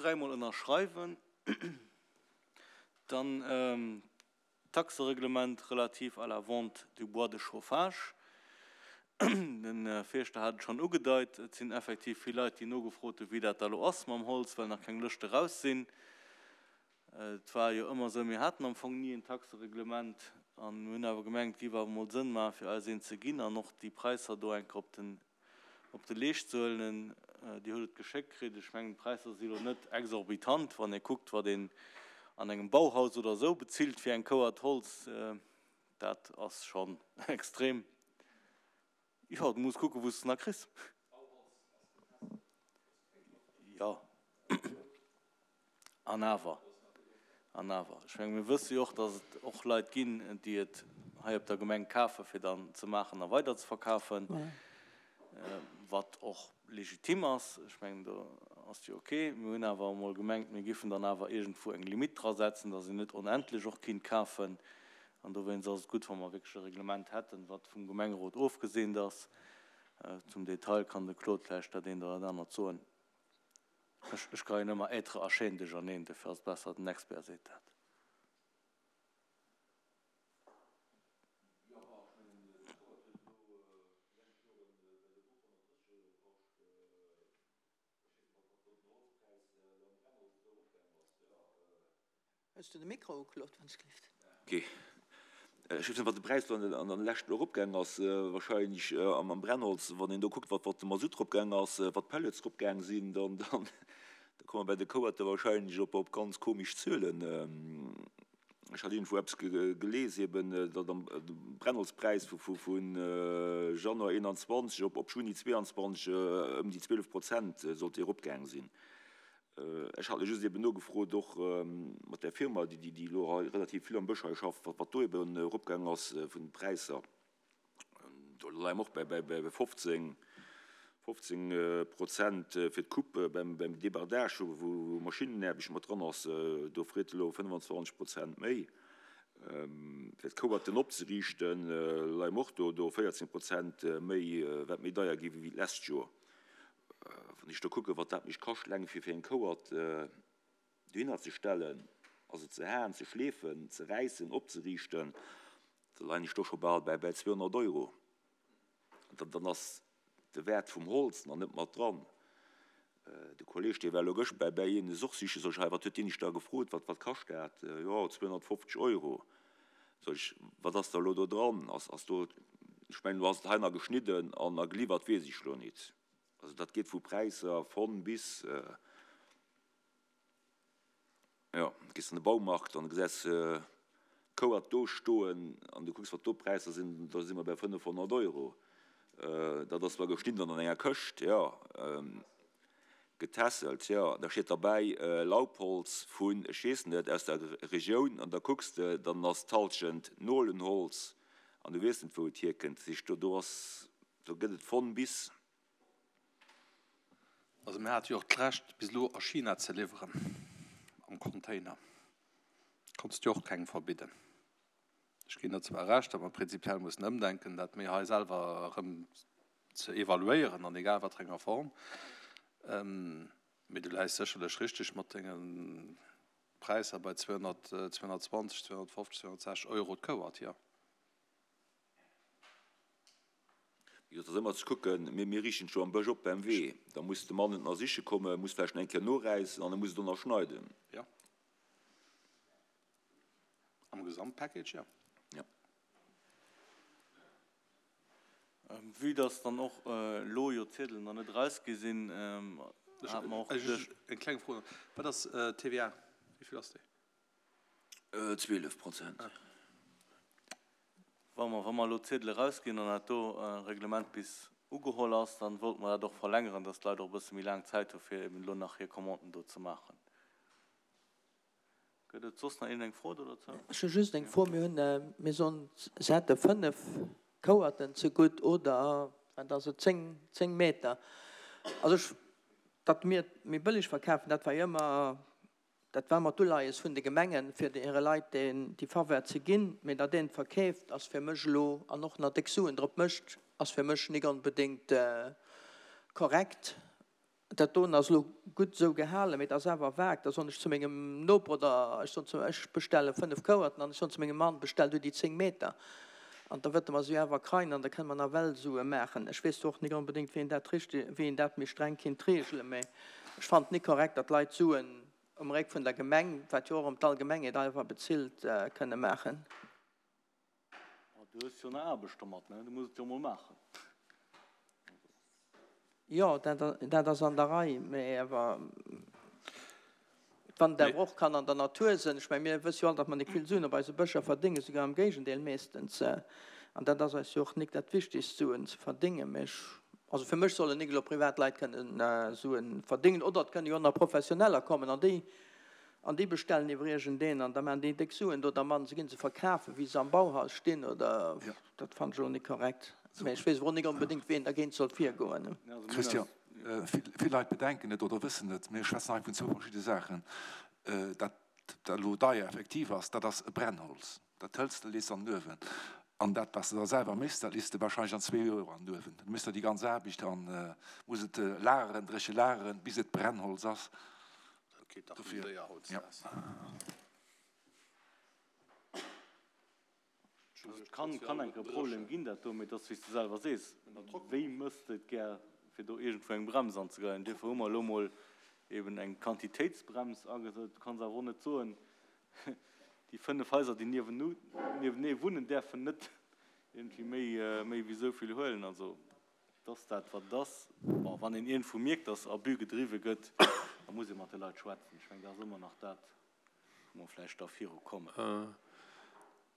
dräimol ënnerschreiwen. Dann d'Taxereglement relatif à la vente du bois de chauffage. De Fierschter hat et schonn ugedeit, et sinn effektiv vill Leit, déi nogefrot hunn, wéi dat da lo ass mam Holz, well nach keng Lëschte raus sinn. Et war jo ëmmer esou, mir haten am Fong ni en Taxereglement an mir hunn awer gemengt, et géif awer emol Sënn maachen, fir eis eent ze ginn an och déi Präisser do eng Kéier op den op de Leescht ze huelen. Dir hutt et geschéckt kritt. Ech mengen, d'Präisser si lo net exorbitant, wann ee kuckt, wat een an engem Bauhaus oder esou bezilt fir eng Kouert Holz. Dat ass schonn extrem. Jo, du muss kucken, wou s de nach kriss. Jo. An awer, an awer, ech menge mir wësse jo och, datt et och Leit ginn, déi et hei op der Gemeng kafen, fir dann ze maachen a weiderzeverkafen, wat och legitim ass. Ech mengen, do ass jo ok. Mir hunn awer emol gemengt, mir giffen dann awer iergendwou eng Limitt drasetzen, datt een net onendlech och kinnt kafen. An dowéinst ass et gutt, wa mer wierklech e Reglement hätten, wat vum Gemengerot ofgeseent ass. Zum Detail kann de Claude vläicht dat eent oder dat anert soen. Ech geien ëmmer être a chaîne duercherneen, dofir ass et besser den Expert seet dat. Hues du de Mikro u, Claude, wann ech gelift? Ok. Ech weess net, wat de Präis do an de leschten eropgaang ass. Wahrscheinlech am Brennholz, wann een do kuckt, wat de Masutt eropgaang ass, wat d'Pellets eropgaang sinn, dann da komme mer bei de Kouerte wahrscheinlech op ganz komesch Zuelen. Ech hat iergendwou eppes gelies, eben, datt am Brennholzpräis vu Januar 21 op Juni 22 ëm déi 12 Prozent sollt dee eropgaang sinn. Ech hat just eben nogefrot, och mat där Firma, déi elo hei relativ vill am Bësch hei schafft, wat do eben eropgaangen ass vun de Präisser. Do leie mer och bäi 15, 15 Prozent fir d'Coupe beim Débardage, wou Maschinnenaarbecht mat dran ass. Do freet elo 25 Prozent méi. Fir d'Kouerten opzeriichten, leie mer och do 14 Prozent méi, wat méi deier gi wéi d'lescht Joer. Wann ech do kucken, wat dat mech kascht, eleng fir fir eng Kouert dohinner ze stellen, also ze haen, ze schleefen, ze räissen, opzeriichten, da leien ech do scho bal bäi bäi 200 Euro. An dann ass de Wäert vum Holz nach net mat dran. De Kolleeg, dee war elo gëscht bäi bäi een es och sichen, sot ech, hei, wat huet deen iech da gefrot, wat wat kascht dat? Jo, 250 Euro. Sot ech, wat ass da elo do dran? Ass ass do, ech mengen, elo ass et hei nach geschnidden an a geliwwert, weess ech elo nit. Also dat geet vu Präisser von bis, jo, gees an de Baumarkt an gesäis d'Kouert do stoen an du kucks wat do d'Präisser sinn, da si mer bei 500 Euro. Dat ass zwar geschnidden an an enger Këscht, jo. Getässelt, jo. Da steet derbäi Laubholz vun, ech weess net, aus der Regioun an da kucks de, dann ass d'Halschent Nolenholz an du weess net wou et hierkënnt. Dat heescht, do do ass, do gëtt et von bis. Also mir hate jo och d'Recht bis elo a China ze liwweren am Container. Konns de jo och kengem verbidden. Ech ginn der zwar Recht, datt mer prinzipiell mussen ëmdenken, dat méi hei selwer erëm ze evaluéieren an egal wat fir enger Form. Mee du läis sécherlech richteg mat denge Präisser bei 200, 220, 250, 260 Euro d'Kouert, jo. Wéi gesot, et ass ëmmer ze kucken, mir riichten et jo am Bësch op beim Wee, da muss de Mann et nach siche kommen, muss vläicht nach eng Kéier noräissen an e muss et och nach schneiden. Jo. Am Gesamtpackage, jo. Jo. Vue dass dann och elo jo d'Ziedelen nach net erausgi sinn, hate mer och geduecht. Eng kleng Fro nach, Wat ass d'TVA? Wéi vill ass déi? 12 Prozent. Wa mer, wa mer elo d'Ziedele erausginn an dat do Reglement bis ugeholl ass, dann wollte mer dat och verlängeren, dass d'Leit och e bësse méi laang Zäit hu fir eben elo nach hir Commanden do ze maachen. Gëtt et soss nach iergendeng Fro do dozou? Ech hu just eng Fro. Mir hunn, mir soen, se hätte 5 Kouerten zegutt oder wat ass et, 10, 10 Meter. Also ech, datt mir et méi bëlleg verkafen, dat war jo ëmmer, dat war ëmmer d'Uleies vun de Gemengen, fir hire Leit deen, déi Faveur ze ginn. Mee datt een et verkeeft, ass fir mech elo, an och nach déck Suen drop mécht, ass fir mech nik onbedéngt korrekt. Dat doen ass elo gutt esou gehalen, mee et ass awer vag. Da soen ech zu mengem Noper oder ech soen zu, ech bestelle 5 Kouerten an ech soen zu mengem Mann, bestell du déi 10 Meter. An da wëtte mer se jo awer kreien an da kënne mer nawell Sue maachen. Ech weess och nik onbedéngt, wéi een dat richteg, wéi een dat méi streng kinnt regelen, mee ech fannen et nik korrekt, datt Leit Suen um Réck vun der Gemeng, wat jo och erëm d'Allgemengheet einfach bezilt, kënne maachen. Du hues jo nach Aarbecht domat, ne? Du muss et jo emol maachen. Jo, dat ass an der Rei, mee awer wann et awer och kann an der Natur sënn. Ech meng, mir wësse jo all, datt mer nik vill Suen op eise Bëscher verdéngen, souguer am Géigendeel meeschtens. An dat ass eis jo och nik dat Wichtigst, Suen ze verdéngen. Mee ech, also fir mech sollen nik elo privat Leit kënnen Suen verdéngen, oder et kënne jo och nach Professioneller kommen an déi An déi bestellen iwwer iergendeen an da maachen déi déck Suen do dermat an se ginn se verkafen, wéi se am Bauhaus stinn oder. Dat fannen ech elo net korrekt. Mä ech weess awer och nik onbedéngt, wéi een dergéint soll virgoen. Christian, vill Leit bedenken net oder wëssen net, mir schwätzen hei vun zwou verschidde Saachen. Dat, wat elo deier effektiv ass, dat ass e Brennholz. Dat hëls de, lees an den Uewen. An dat, wat s de da selwer méchs, dat lees de wahrscheinlech an zwee Joer an den Uewen. Du méchs der déi ganz Aarbecht an muss et lageren, dréche lageren, bis et Brennholz ass. Dat geet dach méi séier hautdesdaags. Et kann, kann enk e Problem ginn, dat do, mee et ass, wéi s de selwer sees, wéi mëss de et gär, fir do iergendwou eng Brems anzegeien. Duerfir hu mer elo mol eben eng Quantitéitsbrems agesat. Du kanns awer och net soen, déi 5 Haiser, déi niewenee wunnen, däerfen net iergendwéi méi, méi wéi esou vill huelen. Also, Et ass dat, wat et ass. Bon, wann een iergendwou mierkt, dass Abus gedriwwe gëtt, da muss ee mat de Leit schwätzen. Ech mengen, dat ass ëmmer nach dat, wou mer vläicht da virukommen.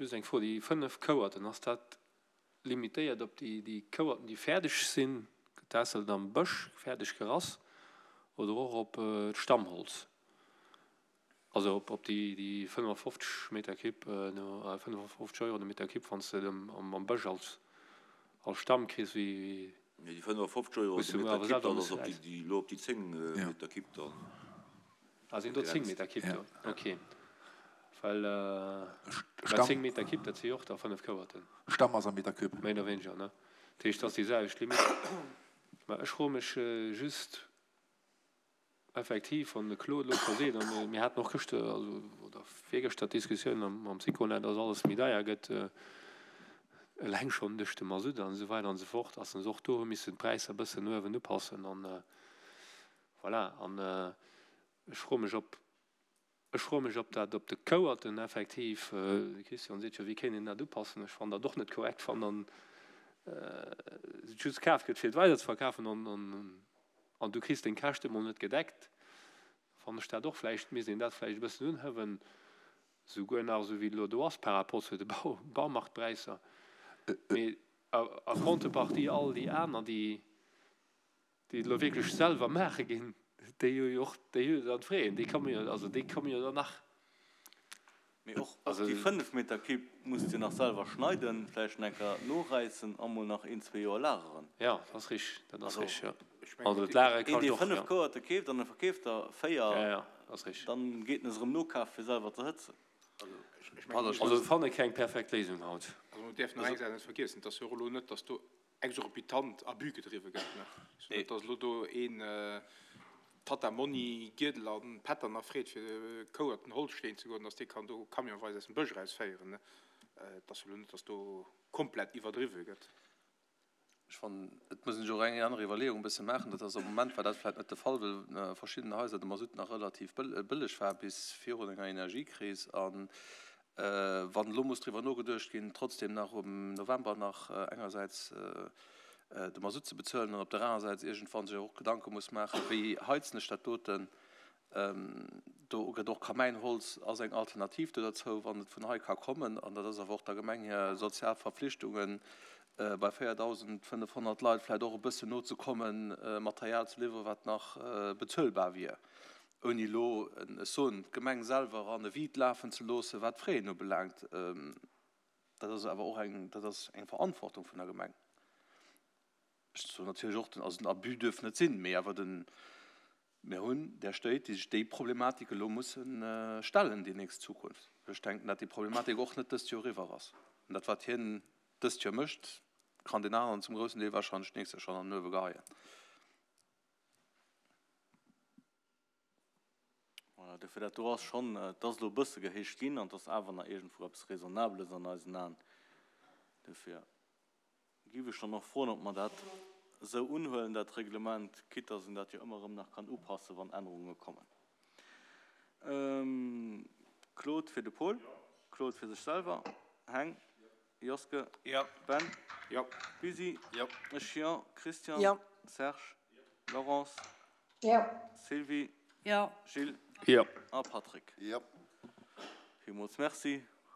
Just eng Fro, Déi 5 Kouerten, ass dat limitéiert op déi Kouerten, déi fäerdeg sinn, getässelt am Bësch, fäerdeg gerass, oder och op d'Stammholz? Also op déi 55 Meter Kipp, 55 Euro de Meter Kipp, wann s de et am Bësch als Stamm kriss, wéi. Nee, déi 55 Euro de Meter Kipp, dat ass op déi, elo op déi 10 Meter Kipp dann. Ah, sinn do 10 Meter Kipp do? Ok. Well, well 10 Meter Kipp, dat si jo och da 5 Kouerten. Stamm ass am Meter Cube. Méi oder wéineger, ne? Dat heescht, dat ass déi selwecht Limite. Mä ech froe mech just, Effektiv, wann de Claude elo scho seet, a mir haten och gëschter, also oder virgëschter d'Diskussioun mam Syconet, dass alles méi deier gëtt, eleng schonn duerch de Masutt an esou weider an esou fort, dass se och do hu missen d'Präisser e bëssen no uewen upassen. An voilà, an ech froe mech, ob Ech froe mech, ob dat op de Kouerten effektiv, de Christian seet jo, wéi kéint een dat upassen, ech fannen dat och net korrekt, wann dann et just kaf gëtt fir et weiderzeverkafen an du kriss deng Käschte mol net gedeckt, fannen ech dat och vläicht, misst een dat vläicht e bëssen unhëwen, souguer nach esou wéi et elo do ass par rapport zu de Baumarktpräisser. Mee a Contrepartie all déi aner, déi déi et elo wierklech selwer maache ginn, déi hu jo och, déi hu jo dann d'Fraien, déi komme jo, also déi komme jo dann nach. Mee och déi 5 Meter Cube muss de nach selwer schneiden, vläicht nach eng Kéier noräissen a mol nach een, zwee Joer lageren. Jo, dat ass richteg, dat ass richteg, jo. Also d'Lagere kascht och, jo. Een, dee 5 Kouerte keeft an e verkeeft der 4, dann geet en se erëm nokafe fir selwer ze hëtzen. Also ech fanne keng perfekt Léisung haut. Also mir däerfen nach eng Saach net vergiessen, et ass jo och elo net, datt do exorbitant Abus gedriwwe gëtt. Sou net, datt elo do een Tatta Monni Giedel a Pättern freet fir Kouerten Holz schleeën ze goen, datt dee kann do camionweis aus dem Bësch erausféieren. Et ass jo elo net, datt do komplett iwwerdriwwe gëtt. Ech fannen, et muss een sech och eng aner Iwwerleeung e bësse maachen. Dat ass am Moment war dat vläicht net de Fall, well a verschiddenen Haiser de Masutt nach relativ bëlleg war bis virun enger Energiekris. An Wann elo muss driwwer nogeduecht ginn, trotzdem nach um November nach engersäits de Masutt ze bezuelen an op der anerer Säit iergendwann sech och Gedanke muss maachen, wéi heizen ech dat doten, do gëtt och Kamäinholz ass eng Alternativ do derzou, wann et vun hei ka kommen. An dat ass awer och der Gemeng hir sozial Verpflichtungen, bei 4.500 Leit vläicht och e bëssen nozekommen, Material ze liwweren, wat nach bezuelbar wier. Ouni elo, ech soen, d'Gemeng selwer an e Vide lafen ze loossen, wat d'Fraien ubelaangt. Dat ass awer och eng, dat ass eng Verantwortung vun der Gemeng. Ech soen natierlech och, also den Abus duerf net sinn, mee awer den, mir hunn där Stéit, déi sech déi Problematik elo musse stellen déi nächst Zukunft. Ech denken, datt déi Problematik och net dëst Joer eriwwer ass. An dat, wat hien dëst Joer mécht, kann deen aneren zum groussen Deel wahrscheinlech d'nächst Joer schonn an den Uewe geheien. Dofir, dat do ass schonn, et ass elo e bësse gehéicht ginn an et ass awer nach iergendwou eppes Raisonnables an eisen Aen. Dofir géif ech dann och froen, ob mer dat esou unhuelen, dat Reglement, quitte dass een dat jo ëmmer erëm nach kann upassen, wann Ännerunge kommen. Claude fir de Paul, Claude fir sech selwer, Heng. Joske. Jo. Ben. Jo. Busi. Jo. Ech jo. Christian. Jo. Serge. Laurence. Jo. Sylvie. Jo. Gilles. Jo. A Patrick. Jo. Villmools Merci.